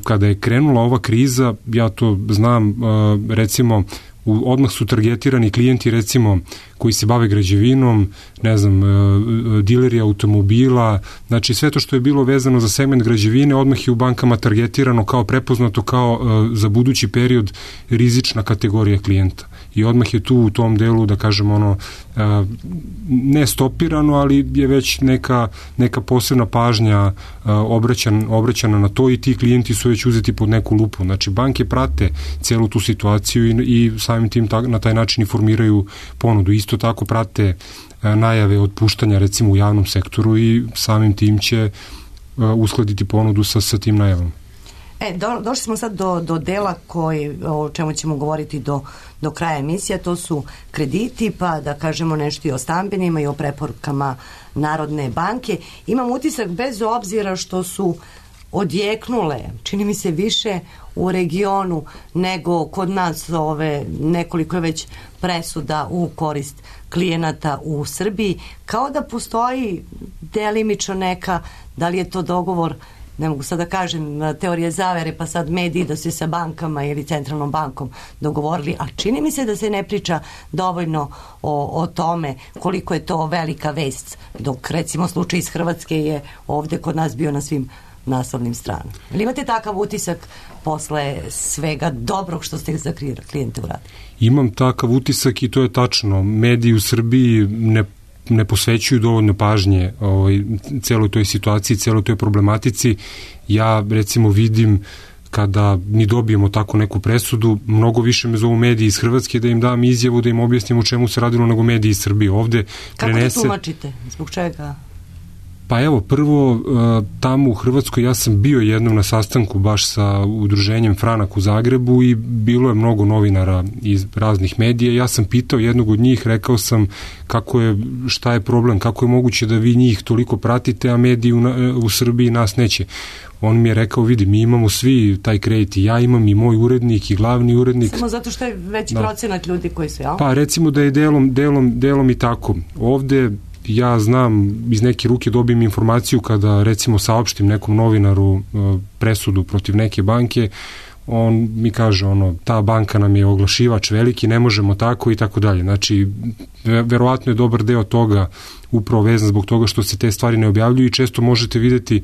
Kada je krenula ova kriza, ja to znam, recimo odmah su targetirani klijenti recimo koji se bave građevinom, ne znam, dileri automobila, znači sve to što je bilo vezano za segment građevine odmah je u bankama targetirano kao prepoznato kao za budući period rizična kategorija klijenta. I odmah je tu u tom delu, da kažem, ne stopirano, ali je već neka posebna pažnja obraćana na to i ti klijenti su već uzeti pod neku lupu. Znači, banke prate celu tu situaciju i samim tim na taj način i formiraju ponudu. Isto tako prate najave otpuštanja recimo u javnom sektoru i samim tim će uskladiti ponudu sa tim najavama. Došli smo sad do dela o čemu ćemo govoriti do kraja emisija, to su krediti, pa da kažemo nešto i o stambenima i o preporukama Narodne banke. Imam utisak, bez obzira što su odjeknule, čini mi se više u regionu nego kod nas, nekoliko je već presuda u korist klijenata u Srbiji, kao da postoji delimično neka, da li je to dogovor, ne mogu sad da kažem teorije zavere, pa sad mediji da se sa bankama ili centralnom bankom dogovorili, a čini mi se da se ne priča dovoljno o tome koliko je to velika vest, dok recimo slučaj iz Hrvatske je ovde kod nas bio na svim naslovnim stranama. Ili imate takav utisak posle svega dobrog što ste za klijente uradili? Imam takav utisak i to je tačno. Mediji u Srbiji ne posvećuju dovoljno pažnje celoj toj situaciji, celoj toj problematici. Ja recimo vidim kada ni dobijemo tako neku presudu, mnogo više me zovu mediji iz Hrvatske da im dam izjavu, da im objasnim o čemu se radilo nego mediji iz Srbije. Ovde kako to tumačite? Zbog čega? Pa evo, prvo, tamo u Hrvatskoj ja sam bio jednom na sastanku baš sa udruženjem Franak u Zagrebu i bilo je mnogo novinara iz raznih medija. Ja sam pitao jednog od njih, rekao sam šta je problem, kako je moguće da vi njih toliko pratite, a mediji u Srbiji nas neće. On mi je rekao, vidi, mi imamo svi taj kredit i ja imam i moj urednik i glavni urednik. Samo zato što je veći procenat ljudi koji su, jel? Pa recimo da je delom i tako. Ovde ja znam, iz neke ruke dobijem informaciju kada recimo saopštim nekom novinaru presudu protiv neke banke, on mi kaže ta banka nam je oglašivač veliki, ne možemo tako i tako dalje. Znači, verovatno je dobar deo toga upravo vezan zbog toga što se te stvari ne objavljuju i često možete videti,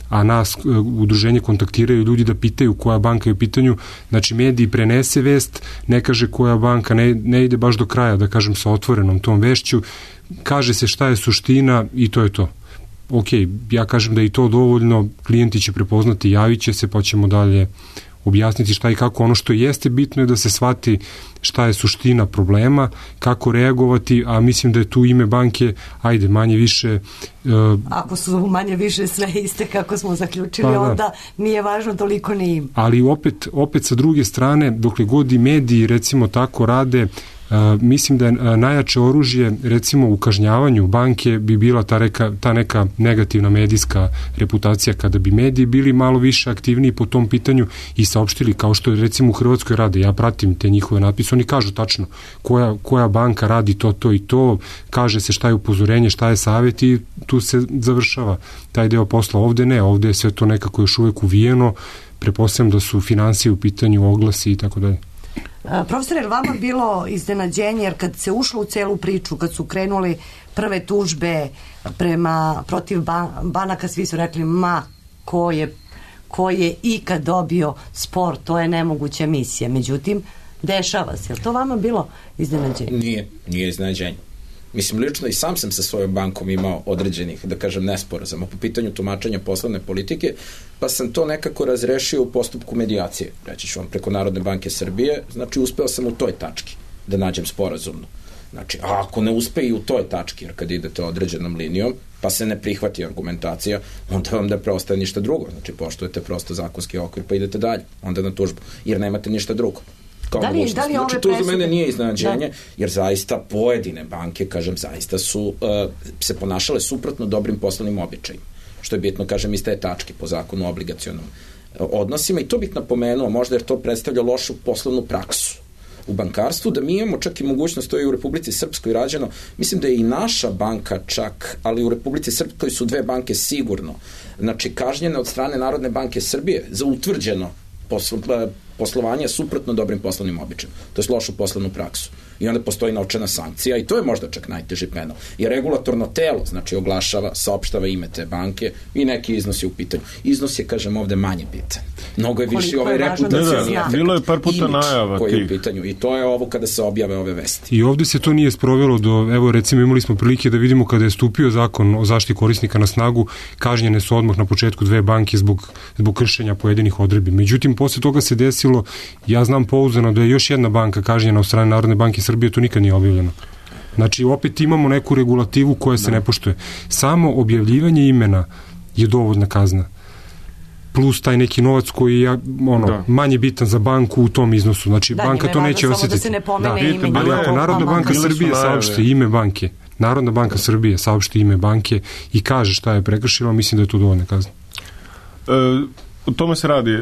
a nas udruženje kontaktiraju ljudi da pitaju koja banka je u pitanju. Znači, mediji prenese vest, ne kaže koja banka, ne ide baš do kraja, da kažem, sa otvorenom tom vešću, kaže se šta je suština i to je to. Ok, ja kažem da je i to dovoljno, klijenti će prepoznati, javit će se, pa ćemo dalje objasniti šta i kako. Ono što jeste bitno je da se shvati šta je suština problema, kako reagovati, a mislim da je tu ime banke, ajde, manje više... Ako su manje više sve iste kako smo zaključili, onda nije važno toliko ni im. Ali opet sa druge strane, dokle god i mediji recimo tako rade, mislim da je najjače oružje recimo u kažnjavanju banke bi bila ta neka negativna medijska reputacija, kada bi mediji bili malo više aktivniji po tom pitanju i saopštili, kao što je recimo u Hrvatskoj rade. Ja pratim te njihove natpise, oni kažu tačno koja banka radi to i to, kaže se šta je upozorenje, šta je savjet i tu se završava taj deo posla. Ovde ne, ovde je sve to nekako još uvek uvijeno, pretpostavljam da su finansije u pitanju, oglasi i tako dalje. Profesor, je li vama bilo iznenađenje, jer kad se ušlo u celu priču, kad su krenuli prve tužbe protiv banaka, svi su rekli, ko je ikad dobio spor, to je nemoguća misija. Međutim, dešava se. Je li to vama bilo iznenađenje? Nije iznenađenje. Mislim, lično i sam sam sa svojom bankom imao određenih, da kažem, nesporazuma po pitanju tumačenja poslovne politike, pa sam to nekako razrešio u postupku medijacije, reći ću vam, preko Narodne banke Srbije. Znači, uspeo sam u toj tački da nađem sporazumno. Znači, a ako ne uspe i u toj tački, jer kad idete određenom linijom, pa se ne prihvati argumentacija, onda vam ne preostaje ništa drugo. Znači, poštujete prosto zakonski okvir, pa idete dalje, onda na tužbu, jer nemate ništa drugo. Znači, to za mene nije iznenađenje, jer zaista pojedine banke, kažem, zaista su se ponašale suprotno dobrim poslovnim običajima, što je bitno, kažem, iz te tačke po zakonu o obligacionom odnosima, i to bih napomenuo, možda jer to predstavlja lošu poslovnu praksu u bankarstvu, da mi imamo čak i mogućnost, to je u Republici Srpskoj rađeno, mislim da je i naša banka čak, ali u Republici Srpskoj su 2 banke sigurno, znači kažnjene od strane Narodne banke Srbije za utvrđeno poslovanje suprotno dobrim poslovnim običajima. To je lošu poslovnu praksu. I onda postoji novčana sankcija i to je možda čak najteži penal. Jer regulatorno telo, znači oglašava, saopštava ime te banke i neki iznos je u pitanju. Iznos je, kažem, ovde manje bitan. Mnogo je više ovaj reputacioni efekt. Bilo je par puta najava koji je u pitanju i to je ovo kada se objave ove vesti. I ovde se to nije sprovelo do, evo recimo imali smo prilike da vidimo kada je stupio zakon o zaštiti korisnika na snagu, kažnjene su odmah na početku 2 banke zbog kršenja pojedinih odredbi. Međutim, posle toga se desilo, ja znam pouzdano da je još jedna banka kažnjena od strane Narodne banke Srbije, to nikad nije objavljeno. Znači, opet imamo neku regulativu koja se ne poštuje. Samo objavljivanje imena je dovoljna kazna. Plus taj neki novac koji je manje bitan za banku u tom iznosu. Znači, banka to neće osjetiti. Da se ne pomene ime. Ali ako Narodna banka Srbije saopšti ime banke, Narodna banka Srbije saopšti ime banke i kaže šta je prekršila, mislim da je to dovoljna kazna. O tome se radi.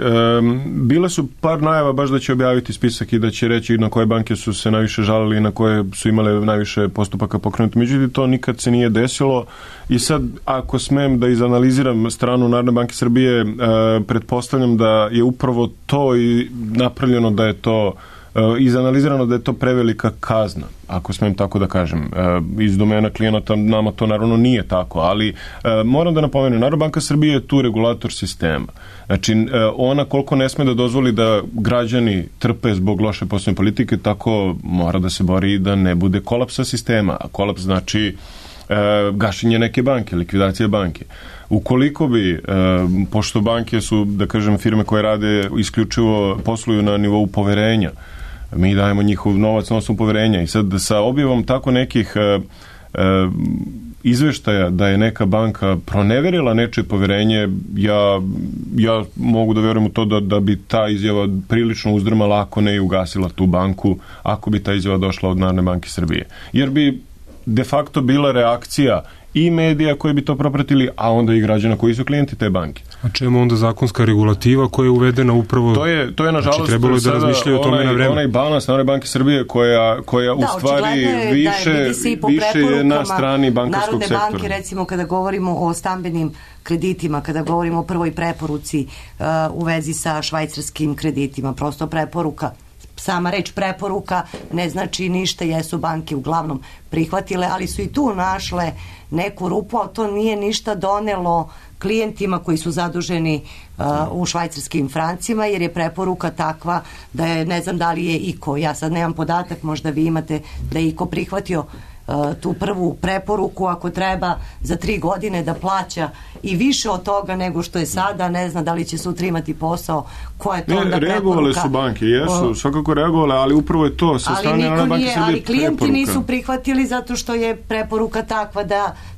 Bile su par najava baš da će objaviti spisak i da će reći na koje banke su se najviše žalili i na koje su imale najviše postupaka pokrenuti. Međutim, to nikad se nije desilo i sad, ako smem da izanaliziram stranu Narodne banke Srbije, pretpostavljam da je upravo to i napravljeno da je to izanalizirano da je to prevelika kazna, ako smem tako da kažem. Iz domena klijenata nama to naravno nije tako, ali moram da napomenem, Narodna banka Srbije je tu regulator sistema. Znači, ona koliko ne sme da dozvoli da građani trpe zbog loše poslovne politike, tako mora da se bori da ne bude kolapsa sistema. A kolaps znači gašenje neke banke, likvidacija banke. Ukoliko bi, pošto banke su, da kažem, firme koje rade isključivo, posluju na nivou poverenja, mi dajemo njihov novac na osnovu poverenja i sad sa objavom tako nekih izveštaja da je neka banka proneverila nečije poverenje, ja mogu da verujem u to da bi ta izjava prilično uzdrmala, ako ne i ugasila tu banku, ako bi ta izjava došla od Narodne banke Srbije. Jer bi de facto bila reakcija i medija koji bi to propratili, a onda i građana koji su klijenti te banke. A čemu onda zakonska regulativa koja je uvedena upravo... To je nažalost, znači, trebalo je da razmišljaju o tome na vreme. Onaj balans Narodne banke Srbije koja u stvari više je na strani bankarskog sektora. Narodne banke, recimo, kada govorimo o stambenim kreditima, kada govorimo o prvoj preporuci u vezi sa švajcarskim kreditima, prosto preporuka, sama reč preporuka ne znači ništa, jesu banke uglavnom prihvatile, ali su i tu našle neku rupu, ali to nije ništa donelo klijentima koji su zaduženi u švajcarskim francima, jer je preporuka takva da je, ne znam da li je iko, ja sad nemam podatak, možda vi imate, da je iko prihvatio tu prvu preporuku, ako treba za 3 godine da plaća i više od toga nego što je sada, ne znam da li će sutra imati posao, koja je to onda preporuka. Reagovale su banke, jesu, svakako reagovale, ali upravo je to sa strane Narodne banke Srbije ali klijenti preporuka. Nisu prihvatili zato što je preporuka takva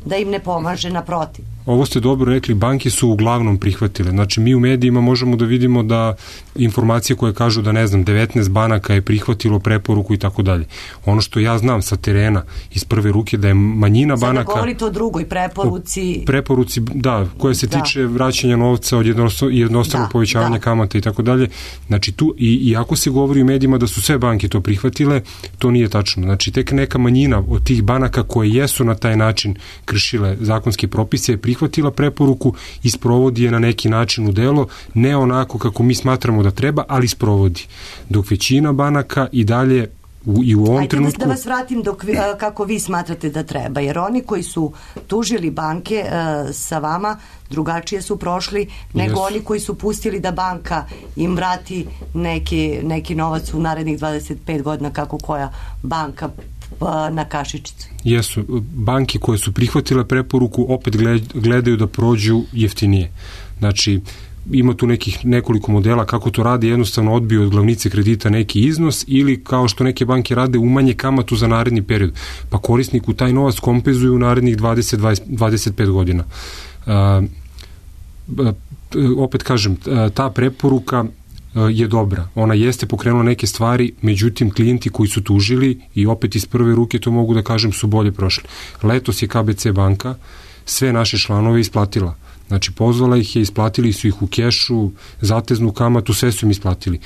da im ne pomaže, naprotiv. Ovo ste dobro rekli, banke su uglavnom prihvatile. Znači, mi u medijima možemo da vidimo da informacije koje kažu da, ne znam, 19 banaka je prihvatilo preporuku i tako dalje. Ono što ja znam sa terena iz prve ruke, da je manjina banaka... Sada govorite o drugoj preporuci... Preporuci, da, koja se tiče vraćanja novca od jednostavnog povećavanja kamata i tako dalje. Znači, tu, i ako se govori u medijima da su sve banke to prihvatile, to nije tačno. Znači, tek neka manjina od tih banaka koje jesu na taj način kršile zakonske propise prihvatila preporuku i sprovodi je na neki način u delo, ne onako kako mi smatramo da treba, ali sprovodi. Dok većina banaka i dalje i u ovom Ajde trenutku... da vas vratim kako vi smatrate da treba, jer oni koji su tužili banke sa vama drugačije su prošli nego oni koji su pustili da banka im vrati neki novac u narednih 25 godina kako koja banka na kašičicu. Jesu. Banke koje su prihvatile preporuku opet gledaju da prođu jeftinije. Znači, ima tu nekoliko modela kako to rade, jednostavno odbiju od glavnice kredita neki iznos ili kao što neke banke rade umanje kamatu za naredni period, pa korisniku taj novac kompenzuju u narednih 20-25 godina. Opet kažem, ta preporuka je dobra. Ona jeste pokrenula neke stvari, međutim klijenti koji su tužili i opet iz prve ruke to mogu da kažem su bolje prošli. Letos je KBC banka sve naše članove isplatila. Znači, pozvala ih je, isplatili su ih u kešu, zateznu kamatu, sve su im isplatili.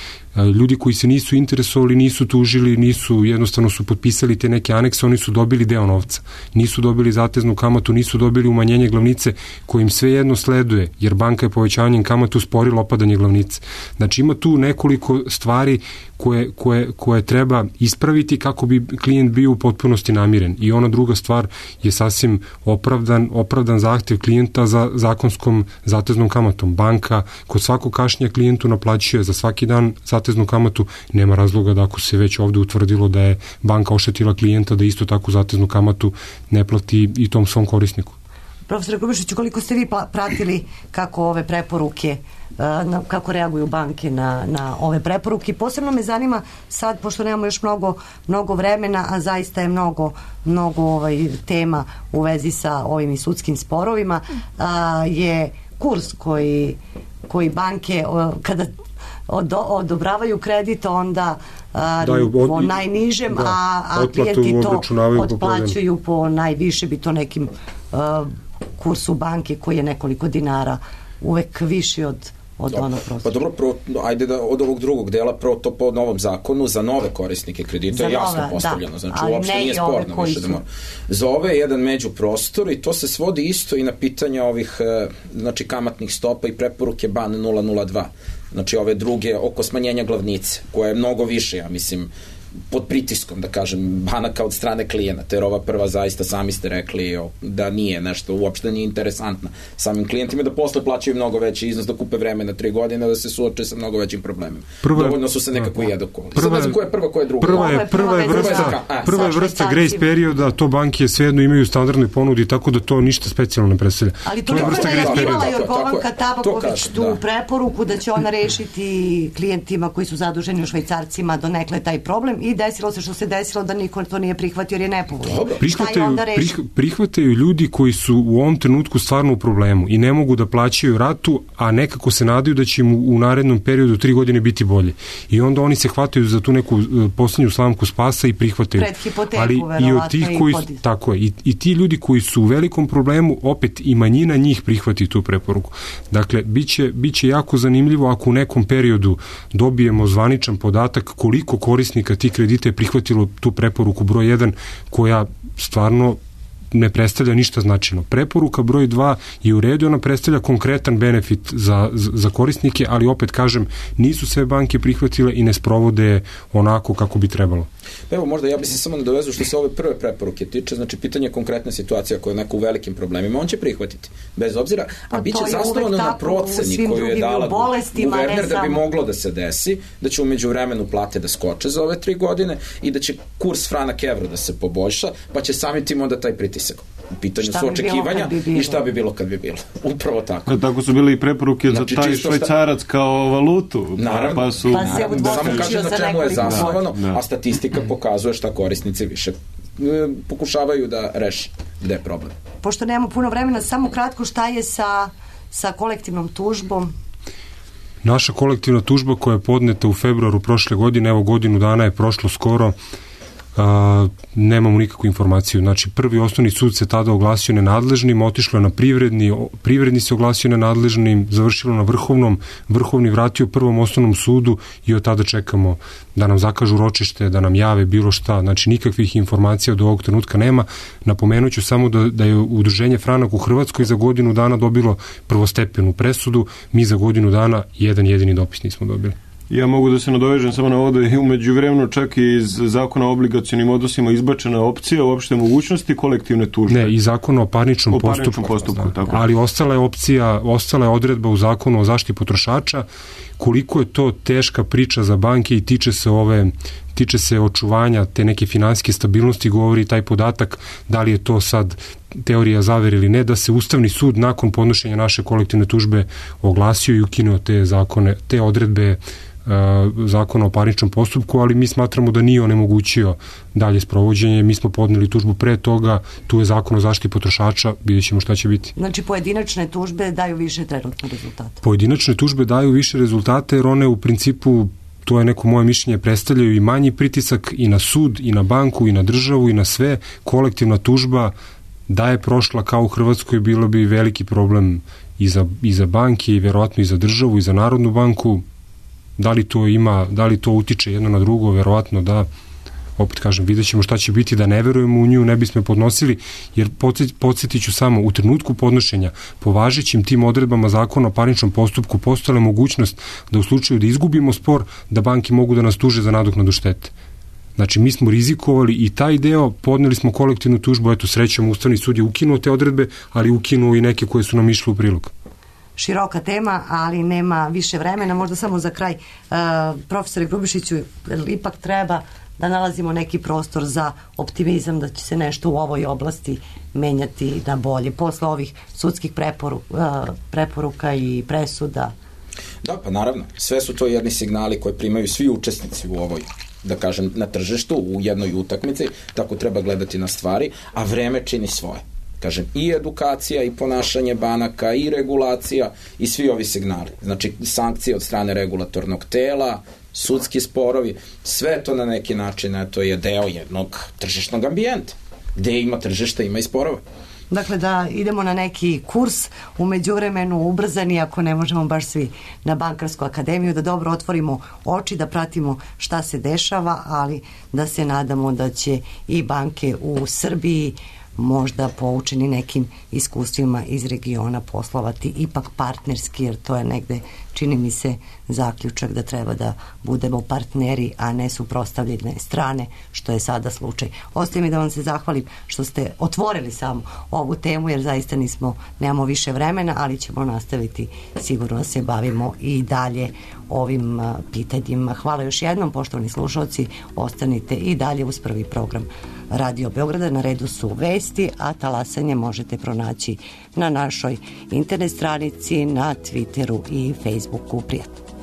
Ljudi koji se nisu interesovali, nisu tužili, jednostavno su potpisali te neke anekse, oni su dobili deo novca. Nisu dobili zateznu kamatu, nisu dobili umanjenje glavnice kojim sve jedno sleduje, jer banka je povećanjem kamatu usporila opadanje glavnice. Znači, ima tu nekoliko stvari koje treba ispraviti kako bi klijent bio u potpunosti namiren. I ona druga stvar je sasvim opravdan zahtev klijenta za zakonskom zateznom kamatom. Banka kod svakog kašnja klijentu naplaćuje za svaki dan zateznu kamatu, nema razloga da ako se već ovde utvrdilo da je banka oštetila klijenta, da isto takvu zateznu kamatu ne plati i tom svom korisniku. Profesor Grubišiću, koliko ste vi pratili kako ove preporuke, kako reaguju banke na ove preporuke? Posebno me zanima sad, pošto nemamo još mnogo vremena, a zaista je mnogo tema u vezi sa ovim i sudskim sporovima, je kurs koji banke kada odobravaju kredit onda po najnižem, a klijenti to otplaćuju po najviše, bi to nekim kursu banke koji je nekoliko dinara uvek viši od onog prostora. Pa dobro, ajde da od ovog drugog dela, prvo to po novom zakonu za nove korisnike kredita je jasno postavljeno, znači uopšte nije sporno više da mora. Za ove je jedan međuprostor i to se svodi isto i na pitanja ovih kamatnih stopa i preporuke BAN 002. Znači ove druge oko smanjenja glavnice, koja je mnogo više, ja mislim, pod pritiskom, da kažem, banaka od strane klijenata, jer ova prva zaista, sami ste rekli da nije nešto, uopšte nije interesantna samim klijentima, da posle plaćaju mnogo veći iznos, da kupe vreme na 3 godine, da se suoče sa mnogo većim problemima. Dovoljno su se nekako i edukoli. Sad ne znam koja je prva, koja je druga. Prva je vrsta grace perioda, to banke svejedno imaju standardnoj ponudi, tako da to ništa specijalno ne predstavlja. Ali to je vrsta grace perioda. Imala Jorgovanka Tabaković tu preporuku da će ona rešiti klijentima koji su zaduženi u švajcarcima donekle taj problem i desilo se što se desilo da niko to nije prihvatio jer je nepovoljno. Prihvataju ljudi koji su u ovom trenutku stvarno u problemu i ne mogu da plaćaju ratu, a nekako se nadaju da će im u narednom periodu 3 godine biti bolje. I onda oni se hvataju za tu neku posljednju slamku spasa i prihvataju. Pred hipoteku, ali i od tih koji tako je, i ti ljudi koji su u velikom problemu, opet i manjina njih prihvati tu preporuku. Dakle, biće jako zanimljivo ako u nekom periodu dobijemo zvaničan podatak koliko korisnika tih kredita je prihvatilo tu preporuku broj 1, koja stvarno ne predstavlja ništa značajno. Preporuka broj 2 je u redu, ona predstavlja konkretan benefit za korisnike, ali opet kažem, nisu sve banke prihvatile i ne sprovode onako kako bi trebalo. Evo, možda ja bi se samo nadovezao što se ove prve preporuke tiče, znači pitanje konkretne situacije koja je neko u velikim problemima, on će prihvatiti, bez obzira, a bit će zasnovano na proceni koju je dala guverner da bi moglo da se desi, da će u međuvremenu plate da skoče za ove 3 godine i da će kurs franak-evro da se poboljša, pa će samim tim onda taj pritisak. U pitanju su očekivanja i šta bi bilo kad bi bilo. Upravo tako. Tako su bile i preporuke za taj švajcarac kao valutu. Naravno. Samo kažem na čemu je zasnovano, a statistika pokazuje šta korisnici više pokušavaju da reše gde je problem. Pošto nemamo puno vremena, samo kratko, šta je sa kolektivnom tužbom? Naša kolektivna tužba koja je podneta u februaru prošle godine, evo godinu dana je prošlo skoro, nemamo nikakvu informaciju. Znači, prvi osnovni sud se tada oglasio nenadležnim, otišlo na privredni se oglasio nenadležnim, završilo na vrhovni vratio prvom osnovnom sudu i od tada čekamo da nam zakažu ročište, da nam jave bilo šta. Znači, nikakvih informacija od ovog trenutka nema. Napomenuću samo da je Udruženje Franak u Hrvatskoj za godinu dana dobilo prvostepenu presudu, mi za godinu dana jedan jedini dopis nismo dobili. Ja mogu da se nadovežem samo na ovo da je umeđu vremenu čak i iz zakona o obligacionim odnosima izbačena opcija uopšte mogućnosti kolektivne tužbe. Ne, i zakona o parničnom postupku. Tako. Ali ostala je opcija, ostala je odredba u zakonu o zaštiti potrošača. Koliko je to teška priča za banke i tiče se očuvanja te neke finansijske stabilnosti, govori taj podatak da li je to sad teorija zavere ili ne, da se Ustavni sud nakon podnošenja naše kolektivne tužbe oglasio i ukinuo te odredbe zakona o parničnom postupku, ali mi smatramo da nije onemogućio dalje sprovođenje. Mi smo podneli tužbu pre toga, tu je zakon o zaštiti potrošača, vidjet ćemo šta će biti. Znači pojedinačne tužbe daju više trenutno rezultata? Pojedinačne tužbe daju više rezultata jer one u principu, to je neko moje mišljenje, predstavljaju i manji pritisak i na sud, i na banku, i na državu, i na sve. Kolektivna tužba da je prošla kao u Hrvatskoj bilo bi veliki problem i za banke i verovatno i za državu i za Narodnu banku. Da li to utiče jedno na drugo, verovatno da, opet kažem, vidjet ćemo šta će biti, da ne verujemo u nju, ne bismo podnosili, jer podsjetit ću samo, u trenutku podnošenja, po važećim tim odredbama zakona o parničnom postupku postojala mogućnost da u slučaju da izgubimo spor, da banke mogu da nas tuže za nadoknadu štete. Znači, mi smo rizikovali i taj deo, podneli smo kolektivnu tužbu, eto, srećom, Ustavni sud je ukinuo te odredbe, ali ukinuo i neke koje su nam išle u prilog. Široka tema, ali nema više vremena. Možda samo za kraj, profesore Grubišiću, ipak treba da nalazimo neki prostor za optimizam da će se nešto u ovoj oblasti menjati na bolje posle ovih sudskih preporuka i presuda. Da, pa naravno, sve su to jedni signali koje primaju svi učesnici u ovoj, da kažem, na tržištu, u jednoj utakmici, tako treba gledati na stvari, a vreme čini svoje. Kažem, i edukacija, i ponašanje banaka, i regulacija, i svi ovi signali. Znači, sankcije od strane regulatornog tela, sudski sporovi, sve to na neki način, to je deo jednog tržišnog ambijenta. Gde ima tržišta, ima i sporova. Dakle, da idemo na neki kurs, u međuvremenu ubrzani, ako ne možemo baš svi na Bankarsku akademiju, da dobro otvorimo oči, da pratimo šta se dešava, ali da se nadamo da će i banke u Srbiji možda poučeni nekim iskustvima iz regiona poslovati ipak partnerski, jer to je negde, čini mi se, zaključak da treba da budemo partneri, a ne suprotstavljene strane, što je sada slučaj. Ostaje mi da vam se zahvalim što ste otvorili samo ovu temu, jer zaista nemamo više vremena, ali ćemo nastaviti, sigurno se bavimo i dalje ovim pitanjima. Hvala još jednom, poštovani slušalci, ostanite i dalje uz prvi program Radio Beograda. Na redu su vesti, a talasanje možete pronaći na našoj internet stranici, na Twitteru i Facebooku. Prijatno.